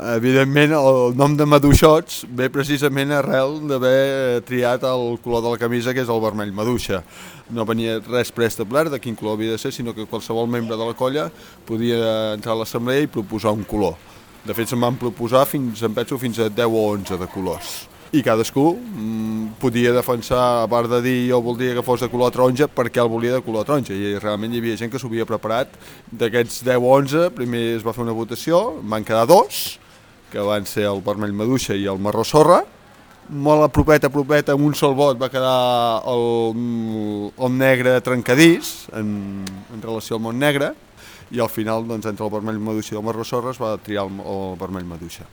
Evidentment, el nom de maduixots ve precisament arrel d'haver triat el color de la camisa, que és el vermell maduixa. No venia res preestablert de quin color havia de ser, sinó que qualsevol membre de la colla podia entrar a l'assemblea i proposar un color. De fet, se'n van proposar fins a 10 o 11 de colors. I cadascú podia defensar, a part de dir jo voldria que fos de color taronja, perquè el volia de color taronja. I realment hi havia gent que s'ho havia preparat. D'aquests 10 o 11, primer es va fer una votació, van quedar dos, que van ser el vermell maduixa i el marró sorra. Molt a propet, amb un sol vot va quedar el negre trencadís en relació al món negre, i al final, doncs, entre el vermell maduixa i el marró sorra es va triar el vermell maduixa.